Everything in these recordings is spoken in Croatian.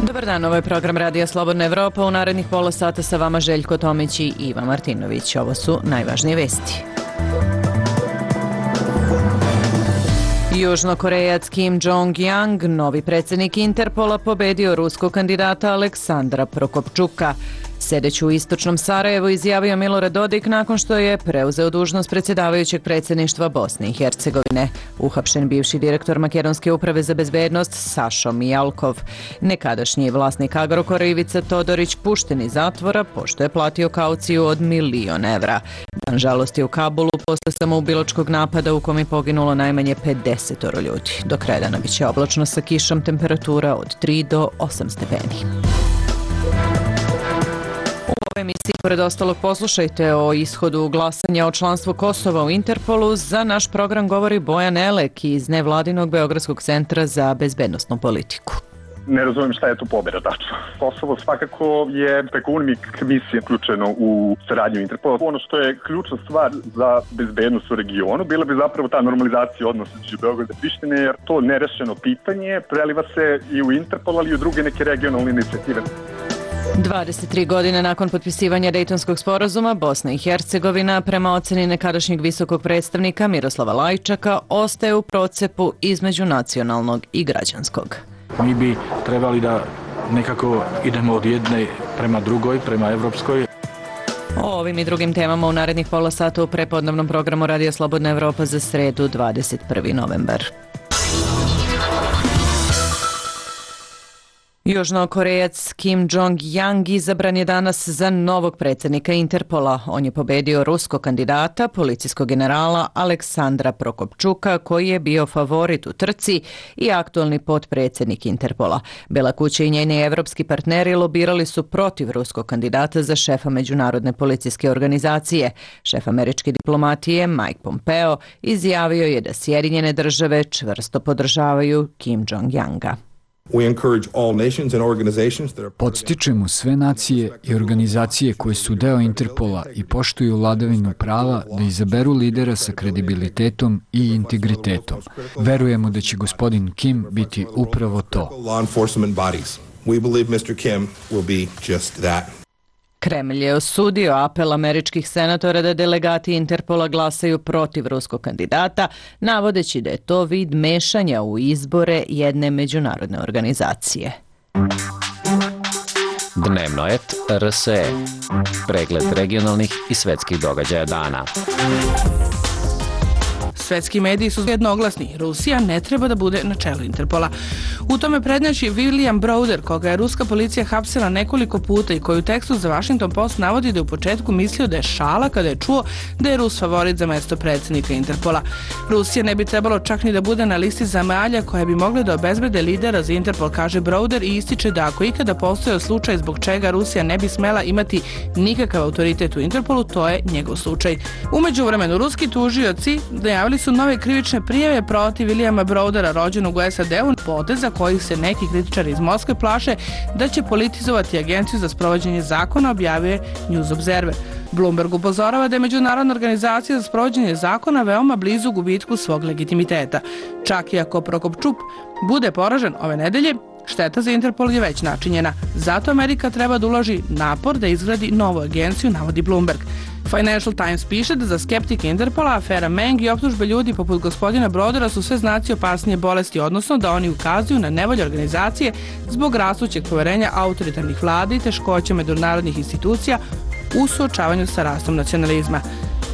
Dobar dan, ovo je program Radija Slobodna Evropa. U narednih pola sata sa vama Željko Tomić i Iva Martinović. Ovo su najvažnije vesti. Južnokorejac Kim Jong-yang, novi predsjednik Interpola, pobedio ruskog kandidata Aleksandra Prokopčuka. Sedeći u istočnom Sarajevu izjavio Milorad Dodik nakon što je preuzeo dužnost predsjedavajućeg predsjedništva Bosne i Hercegovine. Uhapšen bivši direktor Makedonske uprave za bezbednost Sašo Mijalkov. Nekadašnji vlasnik Agrokora Ivica Todorić pušten iz zatvora pošto je platio kauciju od 1.000.000 evra. Dan žalosti u Kabulu posle samoubilačkog napada u kom je poginulo najmanje 50 ljudi. Do kraja dana biće oblačno sa kišom, temperatura od 3 do 8 stepeni. U emisiji, pored ostalog, poslušajte o ishodu glasanja o članstvu Kosova u Interpolu. Za naš program govori Bojan Elek iz nevladinog Beogradskog centra za bezbednosnu politiku. Ne razumijem šta je tu pobjeda tačno. Kosovo svakako je preko UNMIK misije uključeno u saradnju Interpola. Ono što je ključna stvar za bezbednost u regionu bila bi zapravo ta normalizacija odnosa između Beograda i Prištine, jer to nerešeno pitanje preliva se i u Interpol, ali i u druge neke regionalne inicijative. 23 godine nakon potpisivanja Dejtonskog sporazuma, Bosna i Hercegovina, prema oceni nekadašnjeg visokog predstavnika Miroslava Lajčaka, ostaje u procepu između nacionalnog i građanskog. Mi bi trebali da nekako idemo od jedne prema drugoj, prema evropskoj. O ovim i drugim temama u narednih pola sata u prepodnevnom programu Radija Slobodna Evropa za sredu 21. novembar. Južnokorejac Kim Jong-yang izabran je danas za novog predsjednika Interpola. On je pobedio ruskog kandidata, policijskog generala Aleksandra Prokopčuka, koji je bio favorit u trci i aktualni potpredsjednik Interpola. Bela kuća i njeni evropski partneri lobirali su protiv ruskog kandidata za šefa međunarodne policijske organizacije. Šef američke diplomatije Mike Pompeo izjavio je da Sjedinjene države čvrsto podržavaju Kim Jong-yanga. Podstičemo sve nacije i organizacije koje su deo Interpola i poštuju vladavinu prava da izaberu lidera sa kredibilitetom i integritetom. Verujemo da će gospodin Kim biti upravo to. Kremlj je osudio apel američkih senatora da delegati Interpola glasaju protiv ruskog kandidata, navodeći da je to vid mešanja u izbore jedne međunarodne organizacije. Dnevno et RSE. Pregled regionalnih i svetskih događaja dana. Svetski mediji su jednoglasni. Rusija ne treba da bude na čelu Interpola. U tome prednjači William Browder, koga je ruska policija hapsila nekoliko puta i koji u tekstu za Washington Post navodi da je u početku mislio da je šala kada je čuo da je Rus favorit za mesto predsjednika Interpola. Rusija ne bi trebalo čak ni da bude na listi zemalja koje bi mogle da obezbede lidera za Interpol, kaže Browder, i ističe da ako ikada postojao slučaj zbog čega Rusija ne bi smela imati nikakav autoritet u Interpolu, to je njegov slučaj. U međuvremenu, ruski tužioci najavili su nove krivične prijave protiv Williama Browdera, rođenog u SAD-u, poteza kojih se neki kritičari iz Moskve plaše da će politizovati agenciju za sprovođenje zakona, objavio News Observer. Bloomberg upozorava da je međunarodna organizacija za sprovođenje zakona veoma blizu gubitku svog legitimiteta. Čak i ako Prokopčuk bude poražen ove nedelje, šteta za Interpol je već načinjena. Zato Amerika treba da uloži napor da izgradi novu agenciju, navodi Bloomberg. Financial Times piše da za skeptike Interpola afera Meng i optužbe ljudi poput gospodina Brodera su sve znaci opasnije bolesti, odnosno da oni ukazuju na nevolje organizacije zbog rastućeg poverenja autoritarnih vlada i teškoća međunarodnih institucija u suočavanju sa rastom nacionalizma.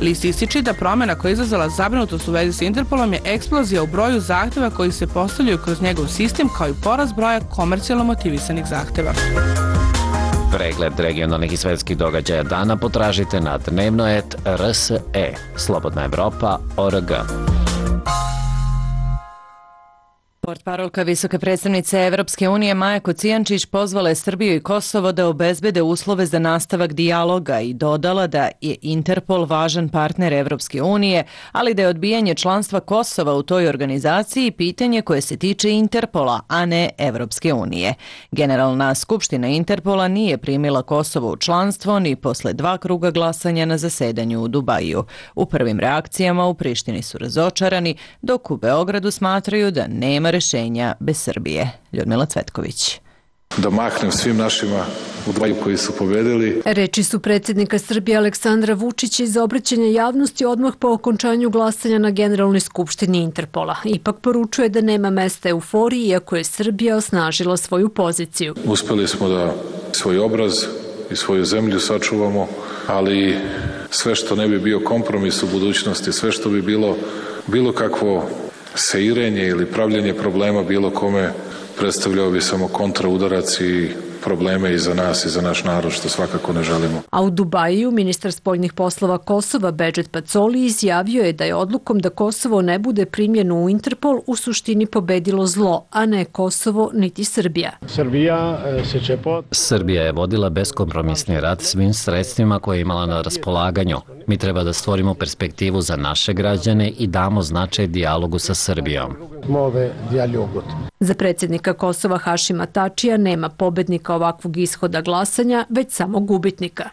List ističe da promjena koja je izazvala zabrinutost u vezi s Interpolom je eksplozija u broju zahteva koji se postavljaju kroz njegov sistem, kao i porast broja komercijalno motivisanih zahteva. Pregled regionalnih i svetskih događaja dana potražite na dnevno.rs.e. Slobodna Evropa.org. Portparolka visoke predstavnice Evropske unije Maja Kocijančić pozvala je Srbiju i Kosovo da obezbede uslove za nastavak dijaloga i dodala da je Interpol važan partner Evropske unije, ali da je odbijanje članstva Kosova u toj organizaciji pitanje koje se tiče Interpola, a ne Evropske unije. Generalna skupština Interpola nije primila Kosovo u članstvo ni posle 2 kruga glasanja na zasedanju u Dubaju. U prvim reakcijama u Prištini su razočarani, dok u Beogradu smatraju da nema rešenja bez Srbije. Ljudmila Cvetković. Da mahnem svim našima u Dubaju koji su pobedili. Reči su predsjednika Srbije Aleksandra Vučića iz obraćanja javnosti odmah po okončanju glasanja na Generalnoj skupštini Interpola. Ipak poručuje da nema mesta euforiji, iako je Srbija osnažila svoju poziciju. Uspeli smo da svoj obraz i svoju zemlju sačuvamo, ali sve što ne bi bio kompromis u budućnosti, sve što bi bilo kakvo seirenje ili pravljenje problema bilo kome, predstavljao bi samo kontraudarac i probleme i za nas i za naš narod, što svakako ne želimo. A u Dubaju ministar spoljnih poslova Kosova Bedžet Pacoli izjavio je da je odlukom da Kosovo ne bude primljeno u Interpol u suštini pobedilo zlo, a ne Kosovo niti Srbija. Srbija je vodila beskompromisni rat svim sredstvima koje je imala na raspolaganju. Mi treba da stvorimo perspektivu za naše građane i damo značaj dijalogu sa Srbijom. Za predsjednika Kosova Hašima Tačija nema pobednika ovakvog ishoda glasanja, već samo gubitnika.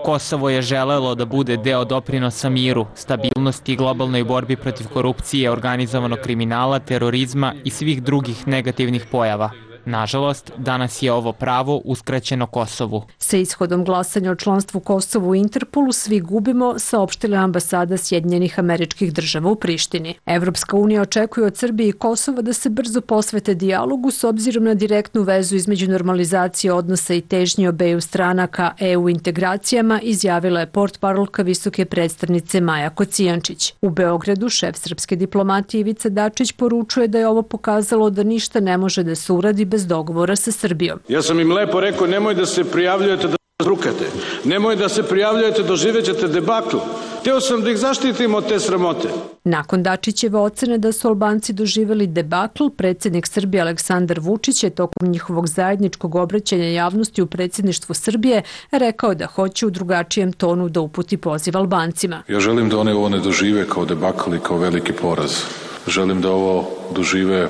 Kosovo je želelo da bude deo doprinosa miru, stabilnosti i globalnoj borbi protiv korupcije, organizovanog kriminala, terorizma i svih drugih negativnih pojava. Nažalost, danas je ovo pravo uskraćeno Kosovu. Sa ishodom glasanja o članstvu Kosovu u Interpolu svi gubimo, saopštila ambasada Sjedinjenih Američkih Država u Prištini. Evropska unija očekuje od Srbije i Kosova da se brzo posvete dijalogu s obzirom na direktnu vezu između normalizacije odnosa i težnje obeju strana ka EU integracijama, izjavila je portparolka visoke predstavnice Maja Kocijančić. U Beogradu šef srpske diplomatije Ivica Dačić poručuje da je ovo pokazalo da ništa ne može da se uradi bez dogovora sa Srbijom. Ja sam im lepo rekao, nemoj da se prijavljujete da zrukate, nemoj da se prijavljujete, doživjet ćete debakl. Hteo sam da ih zaštitim od te sramote. Nakon Dačićeve ocene da su Albanci doživjeli debakl, predsjednik Srbije Aleksandar Vučić je tokom njihovog zajedničkog obraćanja javnosti u predsjedništvu Srbije rekao da hoće u drugačijem tonu da uputi poziv Albancima. Ja želim da one ovo ne dožive kao debakl i kao veliki poraz. Želim da ovo dožive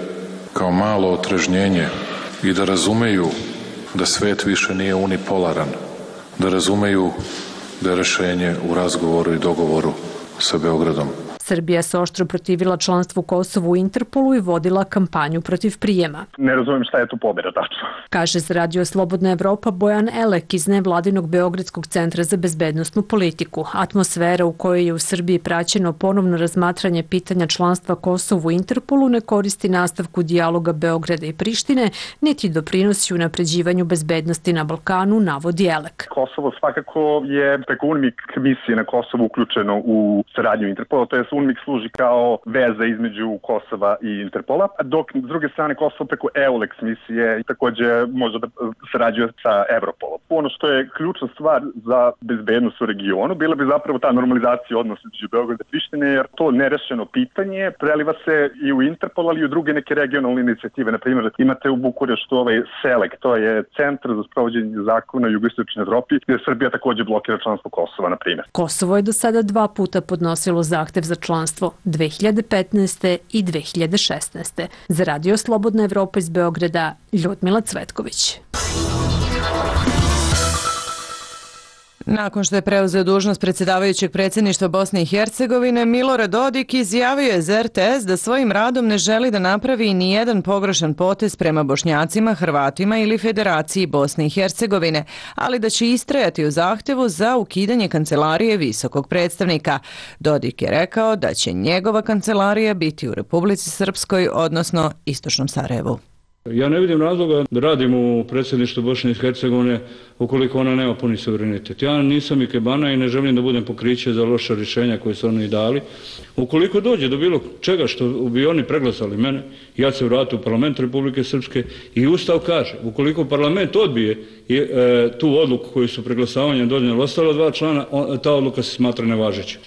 kao malo otrežnjenje i da razumeju da svet više nije unipolaran, da razumeju da je rešenje u razgovoru i dogovoru sa Beogradom. Srbija se oštro protivila članstvu Kosovu u Interpolu i vodila kampanju protiv prijema. Ne razumijem šta je tu pobjeda tačno. Kaže za Radio Slobodna Evropa Bojan Elek iz nevladinog Beogradskog centra za bezbednosnu politiku. Atmosfera u kojoj je u Srbiji praćeno ponovno razmatranje pitanja članstva Kosovu u Interpolu ne koristi nastavku dijaloga Beograda i Prištine, niti doprinosi unapređivanju bezbednosti na Balkanu, navodi Elek. Kosovo svakako je preko UNMIK misije na Kosovu uključeno u saradnju Interpola, to je UNMIK služi kao veza između Kosova i Interpola, dok s druge strane Kosovo preko EULEX misije i također može da sarađuje sa Evropolom. Ono što je ključna stvar za bezbednost u regionu bila bi zapravo ta normalizacija odnosa između Beograda i Prištine, jer to nerešeno pitanje preliva se i u Interpol, ali i u druge neke regionalne inicijative. Na primjer, imate u Bukureštu SELEC, to je Centar za sprovođenje zakona u jugoistočnoj Evropi, gdje Srbija također blokira članstvo Kosova, na primjer. Kosovo je do sada 2 puta podnosilo zahtev za članstvo, 2015. i 2016. Za Radio Slobodna Evropa iz Beograda, Ljudmila Cvetković. Nakon što je preuzeo dužnost predsjedavajućeg predsjedništva Bosne i Hercegovine, Milorad Dodik izjavio je za RTS da svojim radom ne želi da napravi ni jedan pogrešan potez prema Bošnjacima, Hrvatima ili Federaciji Bosne i Hercegovine, ali da će istrajati u zahtevu za ukidanje kancelarije visokog predstavnika. Dodik je rekao da će njegova kancelarija biti u Republici Srpskoj, odnosno Istočnom Sarajevu. Ja ne vidim razloga da radim u predsjedništvu Bosne i Hercegovine ukoliko ona nema puni suverenitet. Ja nisam ikebana i ne želim da budem pokriće za loša rješenja koje su oni dali. Ukoliko dođe do bilo čega što bi oni preglasali mene, ja ću se vratiti u parlament Republike Srpske i Ustav kaže, ukoliko parlament odbije tu odluku koju su preglasavanjem donijeli ostala 2 člana, ta odluka se smatra nevažeća.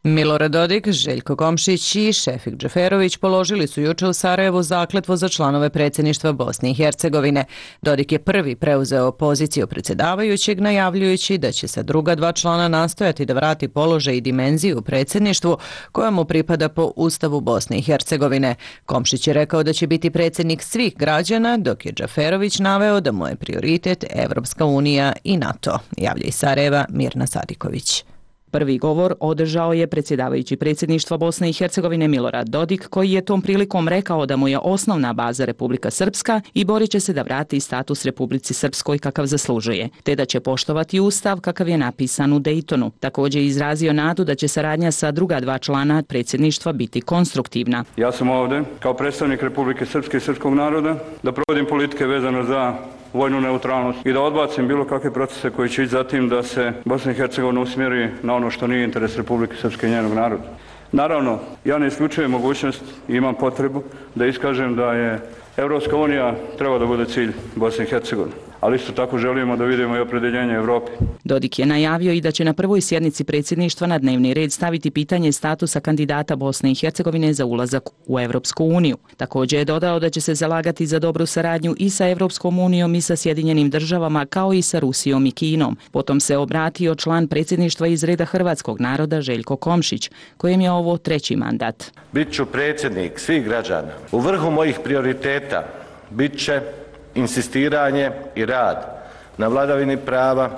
Milorad Dodik, Željko Komšić i Šefik Džaferović položili su juče u Sarajevu zakletvu za članove predsjedništva Bosne i Hercegovine. Dodik je prvi preuzeo poziciju predsjedavajućeg, najavljujući da će sa druga dva člana nastojati da vrati položaj i dimenziju u predsjedništvu koja mu pripada po Ustavu Bosne i Hercegovine. Komšić je rekao da će biti predsjednik svih građana, dok je Džaferović naveo da mu je prioritet Evropska unija i NATO. Javlja iz Sarajeva Mirna Sadiković. Prvi govor održao je predsjedavajući predsjedništva Bosne i Hercegovine Milorad Dodik, koji je tom prilikom rekao da mu je osnovna baza Republika Srpska i borit će se da vrati status Republici Srpskoj kakav zaslužuje, te da će poštovati ustav kakav je napisan u Dejtonu. Također je izrazio nadu da će saradnja sa druga dva člana predsjedništva biti konstruktivna. Ja sam ovdje kao predstavnik Republike Srpske i srpskog naroda da provodim politike vezano za vojnu neutralnost i da odbacim bilo kakve procese koji će ići za tim da se Bosna i Hercegovina usmjeri na ono što nije interes Republike Srpske i njenog naroda. Naravno, ja ne isključujem mogućnost i imam potrebu da iskažem da je Evropska unija treba da bude cilj Bosne i Hercegovine, ali isto tako želimo da vidimo i opredjeljenje Evrope. Dodik je najavio i da će na prvoj sjednici predsjedništva na dnevni red staviti pitanje statusa kandidata Bosne i Hercegovine za ulazak u Evropsku uniju. Također je dodao da će se zalagati za dobru saradnju i sa Evropskom unijom i sa Sjedinjenim državama, kao i sa Rusijom i Kinom. Potom se obratio član predsjedništva iz reda hrvatskog naroda Željko Komšić, kojem je ovo treći mandat. Bit ću predsjednik svih građana. U vrhu mojih prioriteta bit će insistiranje i rad na vladavini prava,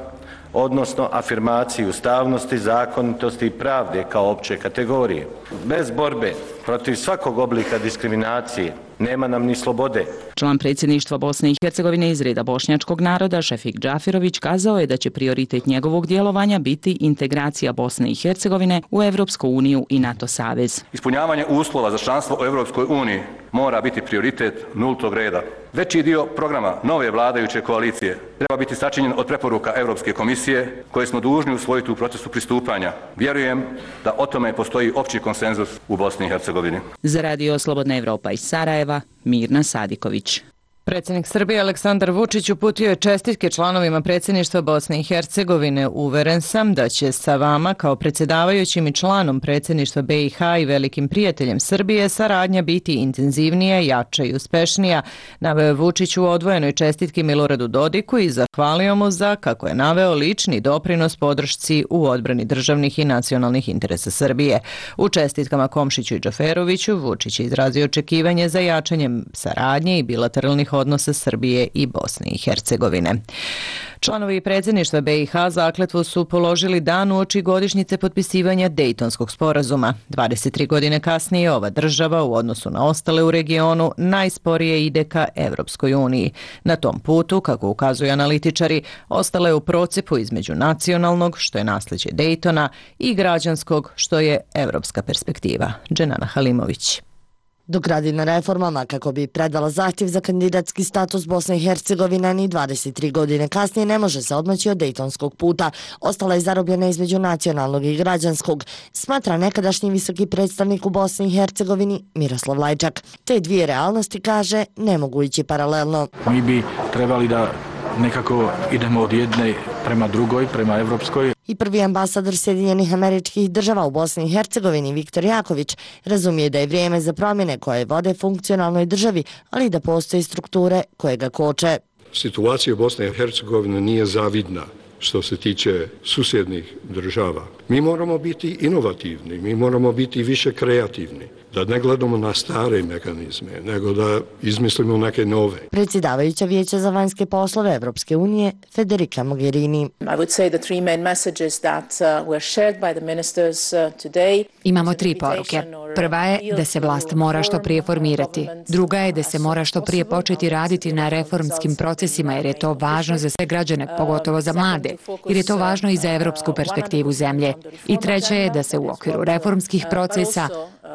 odnosno afirmaciji ustavnosti, zakonitosti i pravde kao opće kategorije. Bez borbe protiv svakog oblika diskriminacije nema nam ni slobode. Član predsjedništva Bosne i Hercegovine iz reda bošnjačkog naroda Šefik Džaferović kazao je da će prioritet njegovog djelovanja biti integracija Bosne i Hercegovine u Evropsku uniju i NATO savez. Ispunjavanje uslova za članstvo u Evropskoj uniji mora biti prioritet nultog reda. Veći dio programa nove vladajuće koalicije treba biti sačinjen od preporuka Europske komisije koje smo dužni usvojiti u procesu pristupanja. Vjerujem da o tome postoji opći konsenzus u Bosni i Hercegovini. Za Radio Slobodna Evropa iz Sarajeva, Mirna Sadiković. Predsjednik Srbije Aleksandar Vučić uputio je čestitke članovima predsjedništva Bosne i Hercegovine. Uveren sam da će sa vama kao predsjedavajućim i članom predsjedništva BiH i velikim prijateljem Srbije saradnja biti intenzivnija, jača i uspešnija, naveo je Vučić u odvojenoj čestitki Miloradu Dodiku i zahvalio mu za, kako je naveo, lični doprinos podršci u odbrani državnih i nacionalnih interesa Srbije. U čestitkama Komšiću i Džaferoviću Vučić je izrazio očekivanje za jačanjem saradnje i bilateralnih odnosa Srbije i Bosne i Hercegovine. Članovi predsjedništva BiH zakletvu su položili dan uoči godišnjice potpisivanja Dejtonskog sporazuma. 23 godine kasnije ova država u odnosu na ostale u regionu najsporije ide ka Evropskoj uniji. Na tom putu, kako ukazuju analitičari, ostala je u procepu između nacionalnog, što je nasljeđe Dejtona, i građanskog, što je evropska perspektiva. Dženana Halimović. Dok radi na reformama kako bi predala zahtjev za kandidatski status, Bosna i Hercegovina ni 23 godine kasnije ne može se odmaći od dejtonskog puta. Ostala je zarobljena između nacionalnog i građanskog, smatra nekadašnji visoki predstavnik u Bosni i Hercegovini Miroslav Lajčak. Te dvije realnosti, kaže, ne mogu ići paralelno. Mi bi trebali da nekako idemo od jedne prema drugoj, prema evropskoj. I prvi ambasador Sjedinjenih Američkih Država u Bosni i Hercegovini, Viktor Jaković, razumije da je vrijeme za promjene koje vode funkcionalnoj državi, ali da postoje strukture koje ga koče. Situacija u Bosni i Hercegovini nije zavidna što se tiče susjednih država. Mi moramo biti inovativni, mi moramo biti više kreativni, da ne gledamo na stare mehanizme, nego da izmislimo neke nove. Predsjedavajuća Vijeća za vanjske poslove Evropske unije, Federica Mogherini. Imamo tri poruke. Prva je da se vlast mora što prije formirati. Druga je da se mora što prije početi raditi na reformskim procesima, jer je to važno za sve građane, pogotovo za mlade, jer je to važno i za evropsku perspektivu zemlje. I treća je da se u okviru reformskih procesa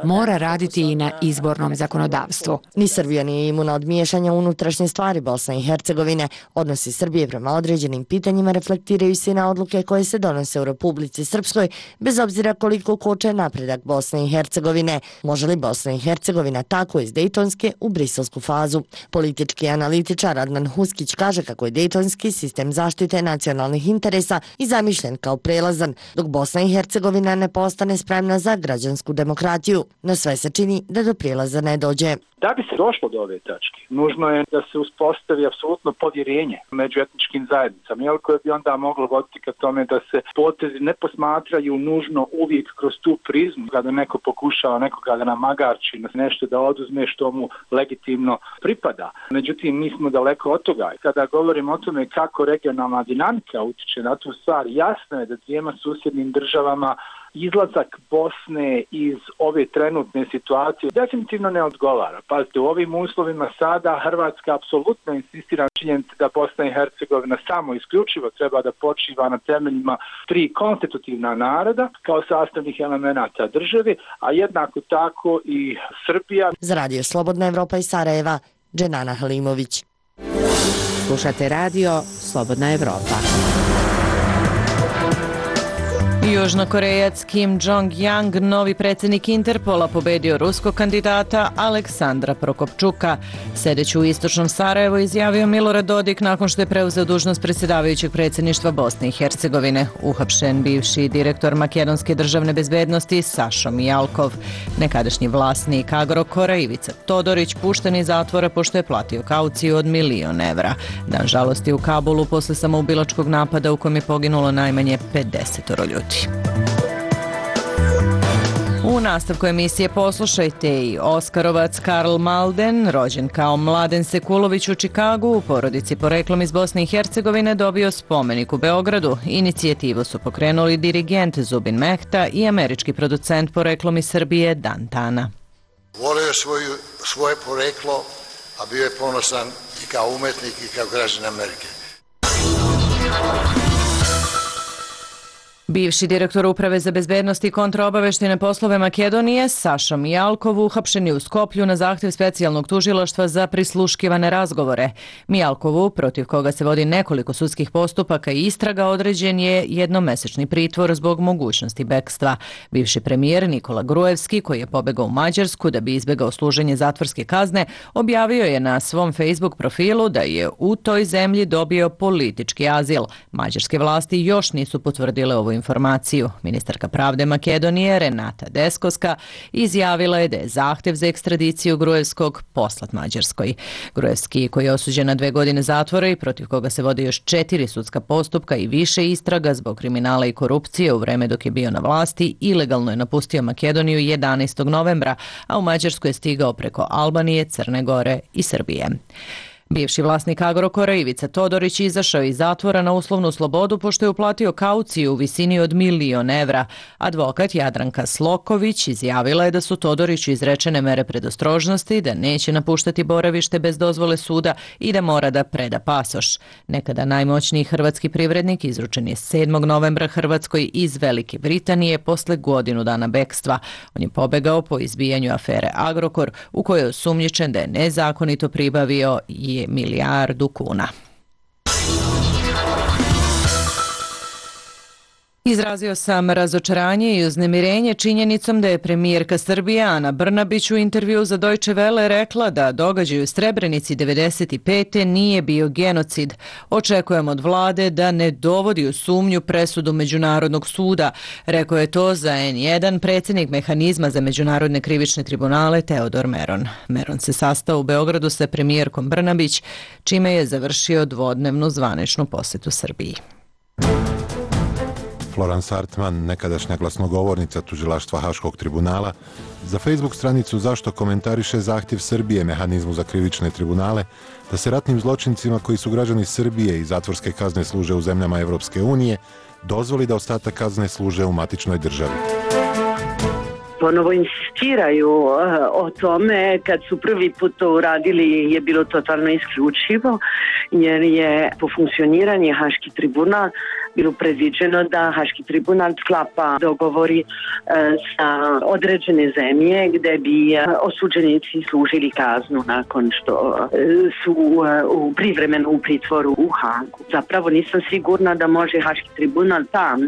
mora raditi i na izbornom zakonodavstvu. Ni Srbija nije imuna od miješanja u unutrašnje stvari Bosne i Hercegovine. Odnosi Srbije prema određenim pitanjima reflektiraju se na odluke koje se donose u Republici Srpskoj, bez obzira koliko koče napredak Bosne i Hercegovine. Može li Bosna i Hercegovina tako iz dejtonske u briselsku fazu? Politički analitičar Adnan Huskić kaže kako je dejtonski sistem zaštite nacionalnih interesa i zamišljen kao prelazan, dok Bosna i Hercegovina ne postane spremna za građansku demokratiju. No sve se čini da do prijelaza ne dođe. Da bi se došlo do ove tačke, nužno je da se uspostavi apsolutno povjerenje među etničkim zajednicama, koje bi onda moglo voditi ka tome da se potezi ne posmatraju nužno uvijek kroz tu prizmu, kada neko pokušava nekoga da namagarči, nešto da oduzme što mu legitimno pripada. Međutim, mi smo daleko od toga. Kada govorimo o tome kako regionalna dinamika utiče na tu stvar, jasno je da dvijema susjednim državama izlazak Bosne iz ove trenutne situacije definitivno ne odgovara. Pazite, u ovim uslovima sada Hrvatska apsolutno insistira na činjenici da Bosna i Hercegovina samo isključivo treba da počiva na temeljima 3 konstitutivna naroda kao sastavnih elemenata države, a jednako tako i Srbija. Za Radio Slobodna Evropa iz Sarajeva, Dženana Halimović. Slušate radio Slobodna Evropa. Južnokorejac Kim Jong-yang, novi predsjednik Interpola, pobedio ruskog kandidata Aleksandra Prokopčuka. Sedeći u istočnom Sarajevu izjavio Milorad Dodik nakon što je preuzeo dužnost predsjedavajućeg predsjedništva Bosne i Hercegovine. Uhapšen bivši direktor makedonske državne bezbednosti Sašo Mijalkov. Nekadašnji vlasnik Agrokora Ivica Todorić pušten iz zatvora pošto je platio kauciju od 1.000.000 evra. Dan žalosti u Kabulu posle samoubilačkog napada u kojem je poginulo najmanje 50 ljudi. U nastavku emisije poslušajte i Oskarovac Karl Malden, rođen kao Mladen Sekulović u Čikagu, u porodici poreklom iz Bosne i Hercegovine, dobio spomenik u Beogradu. Inicijativu su pokrenuli dirigent Zubin Mehta i američki producent poreklom iz Srbije Dan Tana. Volio je svoje poreklo, a bio je ponosan i kao umetnik i kao građanin Amerike. Bivši direktor Uprave za bezbednost i kontraobaveštajne poslove Makedonije Saša Mijalkov uhapšen je u Skoplju na zahtjev specijalnog tužilaštva za prisluškivane razgovore. Mijalkovu, protiv koga se vodi nekoliko sudskih postupaka i istraga, određen je jednomesečni pritvor zbog mogućnosti bekstva. Bivši premijer Nikola Gruevski, koji je pobegao u Mađarsku da bi izbegao služenje zatvorske kazne, objavio je na svom Facebook profilu da je u toj zemlji dobio politički azil. Mađarske vlasti još nisu potvrdile ovu informaciju. Ministarka pravde Makedonije Renata Deskoska izjavila je da je zahtjev za ekstradiciju Gruevskog poslat Mađarskoj. Gruevski, koji je osuđen na 2 godine zatvora i protiv koga se vode još 4 sudska postupka i više istraga zbog kriminala i korupcije u vreme dok je bio na vlasti, ilegalno je napustio Makedoniju 11. novembra, a u Mađarsku je stigao preko Albanije, Crne Gore i Srbije. Bivši vlasnik Agrokora Ivica Todorić izašao iz zatvora na uslovnu slobodu pošto je uplatio kauciju u visini od 1.000.000 evra. Advokat Jadranka Sloković izjavila je da su Todoriću izrečene mere predostrožnosti, da neće napuštati boravište bez dozvole suda i da mora da preda pasoš. Nekada najmoćniji hrvatski privrednik izručen je 7. novembra Hrvatskoj iz Velike Britanije posle godinu dana bekstva. On je pobegao po izbijanju afere Agrokor, u kojoj je osumnjičen da je nezakonito pribavio i 1 milijardu kuna. Izrazio sam razočaranje i uznemirenje činjenicom da je premijerka Srbije Ana Brnabić u intervju za Deutsche Welle rekla da događaj u Srebrenici 1995. nije bio genocid. Očekujem od vlade da ne dovodi u sumnju presudu Međunarodnog suda. Rekao je to za N1 predsjednik mehanizma za međunarodne krivične tribunale Teodor Meron. Meron se sastao u Beogradu sa premijerkom Brnabić, čime je završio dvodnevnu zvaničnu posjetu Srbiji. Florence Hartman, nekadašnja glasnogovornica tužilaštva Haškog tribunala, za Facebook stranicu Zašto komentariše zahtjev Srbije mehanizmu za krivične tribunale da se ratnim zločincima koji su građani Srbije i zatvorske kazne služe u zemljama Evropske unije dozvoli da ostatak kazne služe u matičnoj državi. ponovo insistiraju o tome. Kad su prvi put to uradili je bilo totalno isključivo, jer je po funkcioniranje Haški tribunal bilo predviđeno da Haški tribunal sklapa dogovori sa određene zemlje gde bi osuđenici služili kaznu nakon što su privremeno u pritvoru u Hagu. Zapravo nisam sigurna da može Haški tribunal tam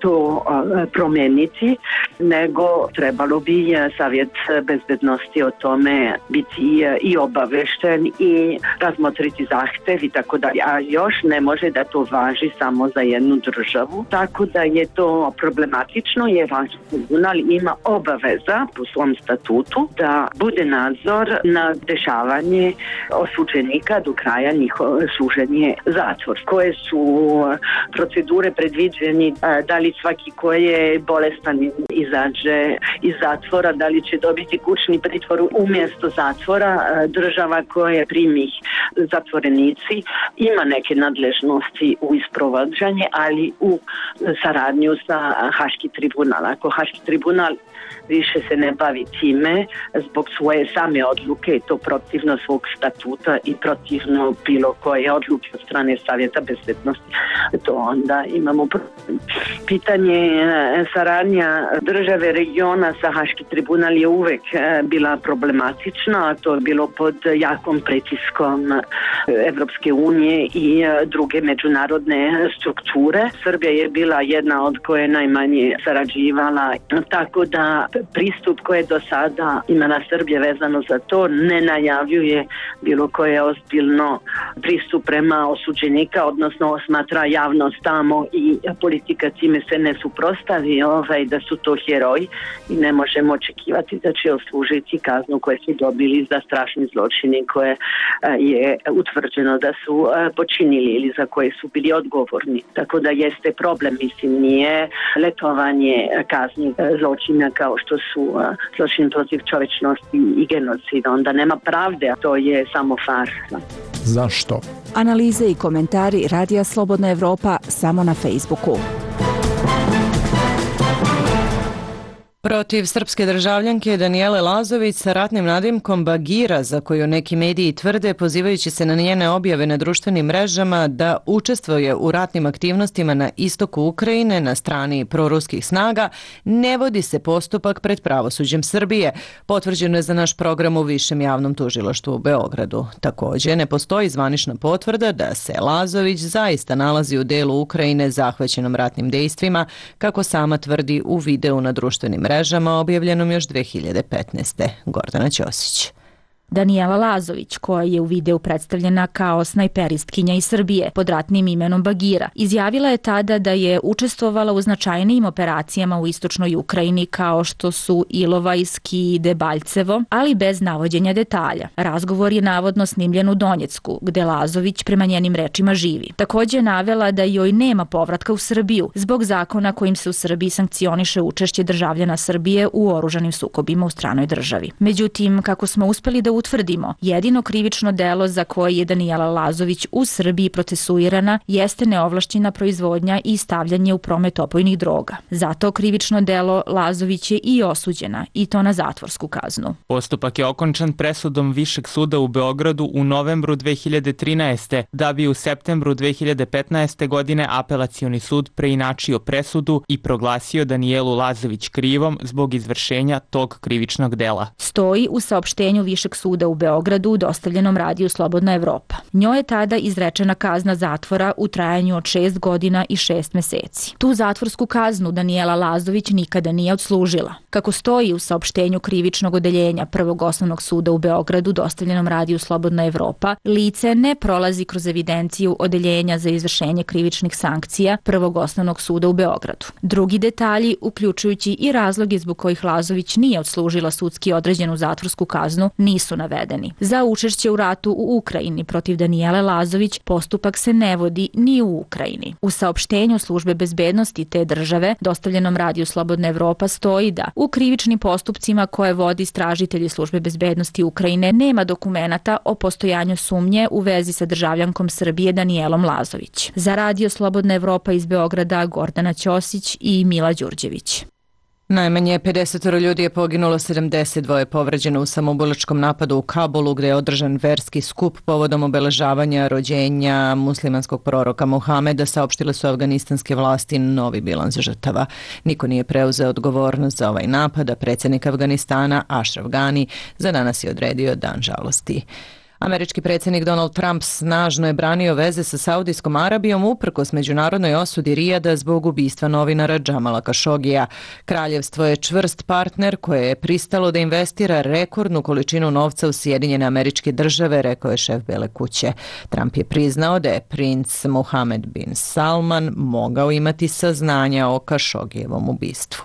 to promeniti, nego trebalo bi Savjet bezbednosti o tome biti i obavešten i razmotriti zahtev i tako dalje. A još ne može da to važi samo za jednu državu, tako da je to problematično, jer Haški tribunal ima obaveza po svom statutu da bude nadzor na dešavanje osuđenika do kraja njihovo služenje zatvor. Koje su procedure predviđeni, da li svaki ko je bolestan izađe iz zatvora, da li će dobiti kućni pritvor umjesto zatvora. Država koja primi zatvorenici ima neke nadležnosti u isprovođenje, ali u saradnju sa Haški tribunal. Ako Haški tribunal više se ne bavi time zbog svoje same odluke, to protivno svog statuta i protivno bilo koje odluke od strane Savjeta bezbednosti, to onda imamo pitanje saradnja države regiona sa Haški tribunal je uvek bila problematična, a to je bilo pod jakom pritiskom Evropske unije i druge međunarodne strukture. Srbija je bila jedna od koje najmanje sarađivala, tako da pristup koje do sada imala Srbija vezano za to ne najavljuje bilo koje ozbiljno pristup prema osuđenika, odnosno smatra javnost tamo i politika time se ne suprostavi da su to heroji i ne možemo očekivati da će odslužiti kaznu koje su dobili za strašni zločini koje je utvrđeno da su počinili ili za koje su bili odgovorni. Tako da jeste problem, mislim, nije letovanje kazni zločina kao što su zločin protiv čovečnosti i genocida. Onda nema pravde, a to je samo farsa. Zašto? Analize i komentari Radija Slobodna Evropa samo na Facebooku. Protiv srpske državljanke Danijele Lazović sa ratnim nadimkom Bagira, za koju neki mediji tvrde, pozivajući se na njene objave na društvenim mrežama, da učestvuje u ratnim aktivnostima na istoku Ukrajine na strani proruskih snaga, ne vodi se postupak pred pravosuđem Srbije. Potvrđeno je za naš program u Višem javnom tužilaštvu u Beogradu. Također, ne postoji zvanična potvrda da se Lazović zaista nalazi u delu Ukrajine zahvaćenom ratnim dejstvima, kako sama tvrdi u videu na društvenim mrežama objavljenom još 2015. Gordana Ćosić. Danijela Lazović, koja je u videu predstavljena kao snajperistkinja iz Srbije pod ratnim imenom Bagira, izjavila je tada da je učestvovala u značajnijim operacijama u istočnoj Ukrajini kao što su Ilovajski i Debaljevo, ali bez navođenja detalja. Razgovor je navodno snimljen u Donjecku, gde Lazović prema njenim rečima živi. Također je navela da joj nema povratka u Srbiju zbog zakona kojim se u Srbiji sankcioniše učešće državljana Srbije u oružanim sukobima u stranoj državi. Međutim, kako smo uspeli da utvrdimo, jedino krivično delo za koje je Danijela Lazović u Srbiji procesuirana jeste neovlašćena proizvodnja i stavljanje u promet opojnih droga. Zato krivično delo Lazović je i osuđena, i to na zatvorsku kaznu. Postupak je okončan presudom Višeg suda u Beogradu u novembru 2013. da bi u septembru 2015. godine apelacioni sud preinačio presudu i proglasio Danijelu Lazović krivom zbog izvršenja tog krivičnog dela. Stoji u saopštenju Višeg suda u Beogradu dostavljenom Radiju Slobodna Evropa. Njoj je tada izrečena kazna zatvora u trajanju od 6 godina i 6 meseci. Tu zatvorsku kaznu Danijela Lazović nikada nije odslužila. Kako stoji u saopštenju krivičnog odeljenja Prvog osnovnog suda u Beogradu dostavljenom Radiju Slobodna Evropa, lice ne prolazi kroz evidenciju odeljenja za izvršenje krivičnih sankcija Prvog osnovnog suda u Beogradu. Drugi detalji, uključujući i razloge zbog kojih Lazović nije odslužila sudski određenu zatvorsku kaznu, nisu navedeni. Za učešće u ratu u Ukrajini protiv Danijele Lazović postupak se ne vodi ni u Ukrajini. U saopštenju službe bezbednosti te države dostavljenom Radiju Slobodna Evropa stoji da u krivičnim postupcima koje vodi istražitelji službe bezbednosti Ukrajine nema dokumenata o postojanju sumnje u vezi sa državljankom Srbije Danijelom Lazović. Za Radio Slobodna Evropa iz Beograda Gordana Ćosić i Mila Đurđević. Najmanje 50 ljudi je poginulo, 72 je povređeno u samoubilačkom napadu u Kabulu, gdje je održan verski skup povodom obeležavanja rođenja muslimanskog proroka Muhameda, saopštile su afganistanske vlasti novi bilans žrtava. Niko nije preuzeo odgovornost za ovaj napad, a predsjednik Afganistana Ashraf Ghani za danas je odredio dan žalosti. Američki predsjednik Donald Trump snažno je branio veze sa Saudijskom Arabijom uprkos međunarodnoj osudi Rijada zbog ubistva novinara Džamala Kašogija. Kraljevstvo je čvrst partner koje je pristalo da investira rekordnu količinu novca u Sjedinjene Američke Države, rekao je šef Bele kuće. Trump je priznao da je princ Mohammed bin Salman mogao imati saznanja o Kašogijevom ubistvu.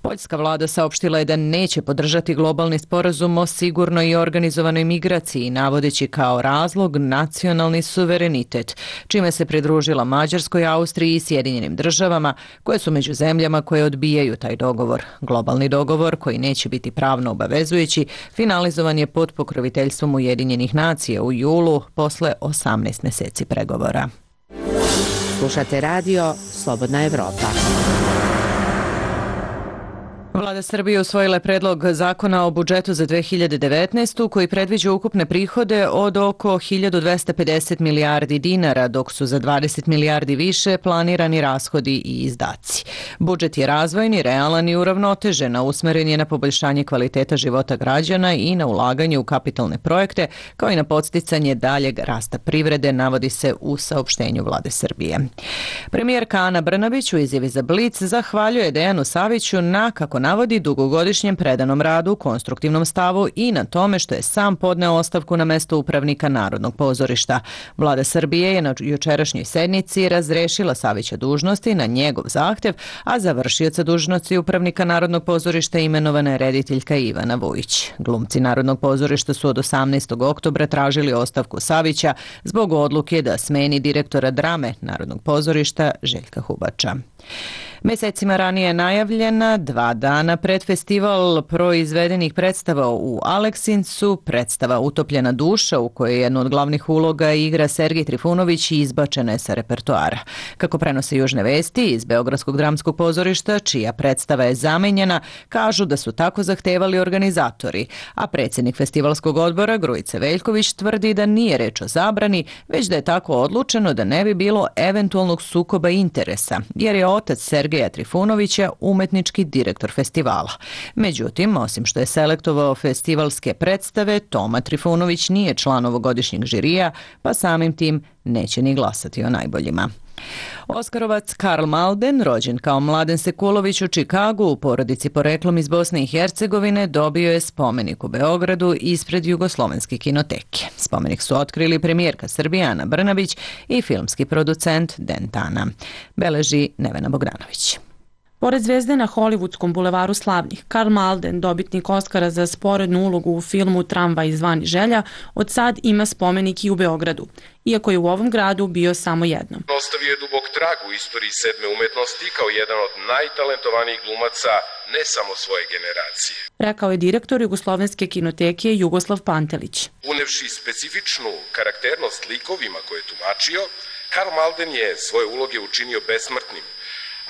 Poljska vlada saopštila je da neće podržati globalni sporazum o sigurnoj i organizovanoj migraciji, navodeći kao razlog nacionalni suverenitet, čime se pridružila Mađarskoj, Austriji i Sjedinjenim Državama, koje su među zemljama koje odbijaju taj dogovor. Globalni dogovor, koji neće biti pravno obavezujući, finalizovan je pod pokroviteljstvom Ujedinjenih nacija u julu posle 18 mjeseci pregovora. Slušate radio Slobodna Evropa. Vlada Srbije usvojila je predlog zakona o budžetu za 2019. koji predviđa ukupne prihode od oko 1250 milijardi dinara, dok su za 20 milijardi više planirani rashodi i izdaci. Budžet je razvojni, realan i uravnotežen, a usmeren je na poboljšanje kvaliteta života građana i na ulaganje u kapitalne projekte, kao i na podsticanje daljeg rasta privrede, navodi se u saopštenju Vlade Srbije. Premijerka Ana Brnabić u izjavi za Blic zahvaljuje Dejanu Saviću na, kako navodi, dugogodišnjem predanom radu, konstruktivnom stavu i na tome što je sam podneo ostavku na mesto upravnika Narodnog pozorišta. Vlada Srbije je na jučerašnjoj sednici razrešila Savića dužnosti na njegov zahtev, a za vršioca dužnosti upravnika Narodnog pozorišta imenovana je rediteljka Ivana Vujić. Glumci Narodnog pozorišta su od 18. oktobra tražili ostavku Savića zbog odluke da smeni direktora drame Narodnog pozorišta Željka Hubača. Mesecima ranije je najavljena 2 dana pred festival proizvedenih predstava u Aleksincu, predstava Utopljena duša u kojoj jednu od glavnih uloga igra Sergej Trifunović i izbačena je sa repertoara. Kako prenose Južne vesti iz Beogradskog dramskog pozorišta, čija predstava je zamenjena, kažu da su tako zahtevali organizatori, a predsjednik festivalskog odbora Grujica Veljković tvrdi da nije reč o zabrani, već da je tako odlučeno da ne bi bilo eventualnog sukoba interesa, jer je otac Sergeja Trifunovića umetnički direktor festivala. Međutim, osim što je selektovao festivalske predstave, Toma Trifunović nije član ovogodišnjeg žirija, pa samim tim neće ni glasati o najboljima. Oskarovac Karl Malden, rođen kao Mladen Sekulović u Čikagu, u porodici poreklom iz Bosne i Hercegovine, dobio je spomenik u Beogradu ispred Jugoslovenske kinoteke. Spomenik su otkrili premijerka Srbije Ana Brnabić i filmski producent Den Tana. Beleži Nevena Bogdanović. Pored zvezde na Hollywoodskom bulevaru slavnih, Karl Malden, dobitnik Oskara za sporednu ulogu u filmu Tramvaj zvani Želja, od sad ima spomenik i u Beogradu, iako je u ovom gradu bio samo jednom. Ostavio je dubok trag u istoriji sedme umetnosti kao jedan od najtalentovanijih glumaca ne samo svoje generacije, rekao je direktor Jugoslovenske kinoteke Jugoslav Pantelić. Unevši specifičnu karakternost likovima koje je tumačio, Karl Malden je svoje uloge učinio besmrtnim,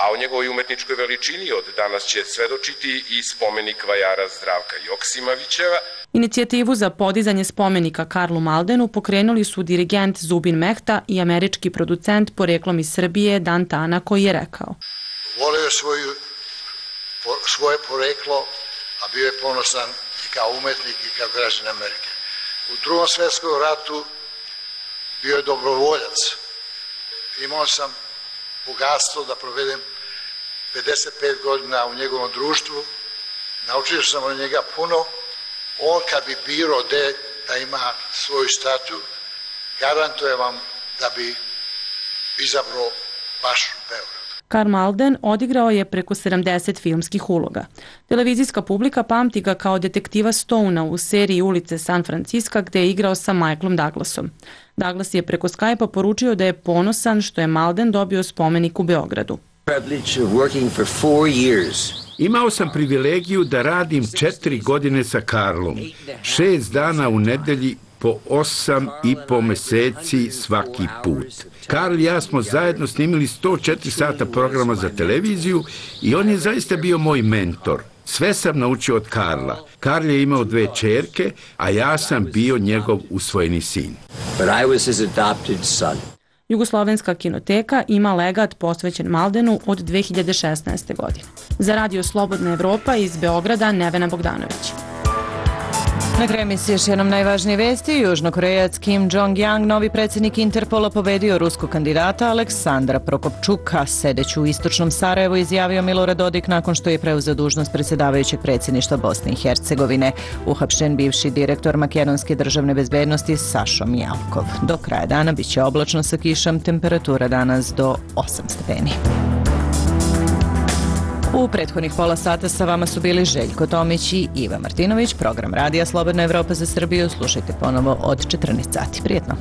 a o njegovoj umetničkoj veličini od danas će svedočiti i spomenik vajara Zdravka Joksimovićeva. Inicijativu za podizanje spomenika Karlu Maldenu pokrenuli su dirigent Zubin Mehta i američki producent poreklom iz Srbije Dan Tana, koji je rekao: volio svoje poreklo, a bio je ponosan i kao umetnik i kao građan Amerike. U Drugom svjetskom ratu bio je dobrovoljac. Imao sam bogatstvo da provedem 55 godina u njegovom društvu. Naučio sam od njega puno. On kad bi birao da ima svoju statu, garantuje vam da bi izabrao baš Beograd. Karl Malden odigrao je preko 70 filmskih uloga. Televizijska publika pamti ga kao detektiva Stonea u seriji Ulice San Francisca, gde je igrao sa Michaelom Douglasom. Douglas je preko Skype-a poručio da je ponosan što je Malden dobio spomenik u Beogradu. Imao sam privilegiju da radim 4 godine sa Karlom. 6 dana u nedelji po 8,5 meseci svaki put. Karl i ja smo zajedno snimili 104 sata programa za televiziju i on je zaista bio moj mentor. Sve sam naučio od Karla. Karl je imao 2 ćerke, a ja sam bio njegov usvojeni sin. But I was his adopted son. Jugoslovenska kinoteka ima legat posvećen Maldenu od 2016. godine. Za Radio Slobodna Evropa iz Beograda, Nevena Bogdanović. Na kraju emisije još jednom najvažnije vesti. Južnokorejac Kim Jong-yang, novi predsjednik Interpola, pobedio ruskog kandidata Aleksandra Prokopčuka. Sedeći u istočnom Sarajevu izjavio Milorad Dodik nakon što je preuzeo dužnost predsjedavajućeg predsjedništva Bosne i Hercegovine. Uhapšen bivši direktor makedonske državne bezbednosti Sašo Mijalkov. Do kraja dana biće oblačno sa kišom, temperatura danas do 8 stepeni. U prethodnih pola sata sa vama su bili Željko Tomić i Iva Martinović. Program Radija Slobodna Evropa za Srbiju slušajte ponovo od 14 sati. Prijetno!